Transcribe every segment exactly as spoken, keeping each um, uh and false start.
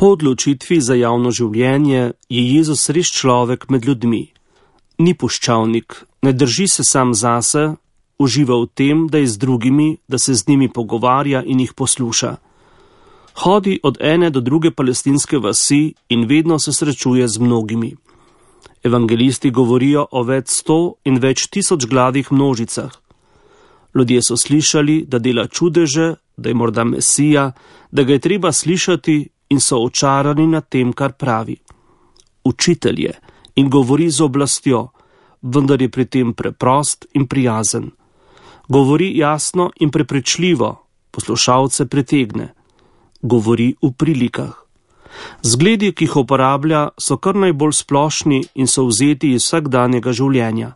Po odločitvi za javno življenje je Jezus res človek med ljudmi. Ni puščavnik, ne drži se sam zase, uživa v tem, da je z drugimi, da se z njimi pogovarja in jih posluša. Hodi od ene do druge palestinske vasi in vedno se srečuje z mnogimi. Evangelisti govorijo o več sto in več tisoč gladih množicah. Ljudje so slišali, da dela čudeže, da je morda Mesija, da ga je treba slišati in so očarani nad tem, kar pravi. Učitelj je in govori z oblastjo, vendar je pri tem preprost in prijazen. Govori jasno in prepričljivo, poslušalce pritegne. Govori v prilikah. Zgledi, ki jih uporablja, so kar najbolj splošni in so vzeti iz vsakdanjega življenja.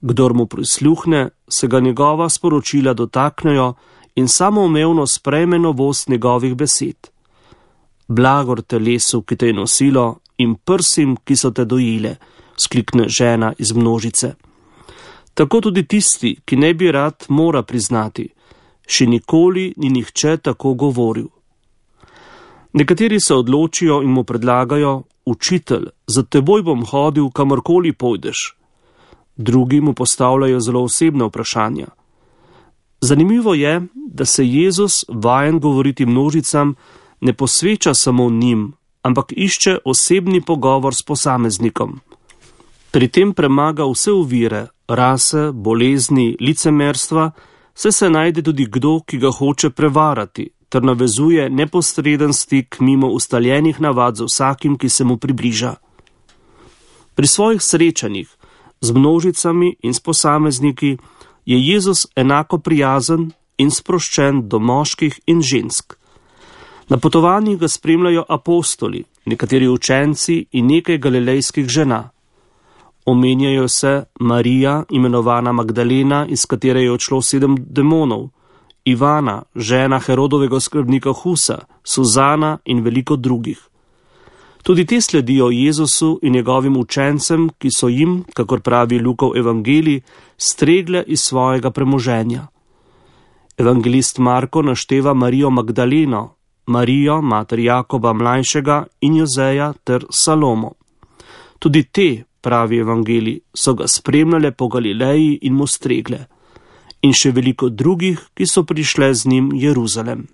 Kdor mu prisluhne, se ga njegova sporočila dotaknejo in samoumevno sprejme novost njegovih besed. Blagor telesu, ki te je nosilo, in prsim, ki so te dojile, sklikne žena iz množice. Tako tudi tisti, ki ne bi rad, mora priznati, še nikoli ni nihče tako govoril. Nekateri se odločijo in mu predlagajo: učitelj, za teboj bom hodil, kamorkoli pojdeš. Drugi mu postavljajo zelo osebne vprašanja. Zanimivo je, da se Jezus, vajen govoriti množicam, ne posveča samo njim, ampak išče osebni pogovor s posameznikom. Pri tem premaga vse ovire, rase, bolezni, licemerstva, saj se najde tudi kdo, ki ga hoče prevarati, ter navezuje neposreden stik mimo ustaljenih navad z vsakim, ki se mu približa. Pri svojih srečanjih z množicami in s posamezniki je Jezus enako prijazen in sproščen do moških in žensk. Na potovanjih ga spremljajo apostoli, nekateri učenci in nekaj galilejskih žena. Omenjajo se Marija, imenovana Magdalena, iz katere je odšlo sedem demonov, Ivana, žena Herodovega skrbnika Husa, Suzana in veliko drugih. Tudi te sledijo Jezusu in njegovim učencem, ki so jim, kakor pravi Lukov evangelij, stregle iz svojega premoženja. Evangelist Marko našteva Marijo Magdaleno, Marijo, mater Jakoba mlajšega in Jozeja ter Salomo. Tudi te, pravi evangelij, so ga spremljale po Galileji in mu stregle. In še veliko drugih, ki so prišle z njim v Jeruzalem.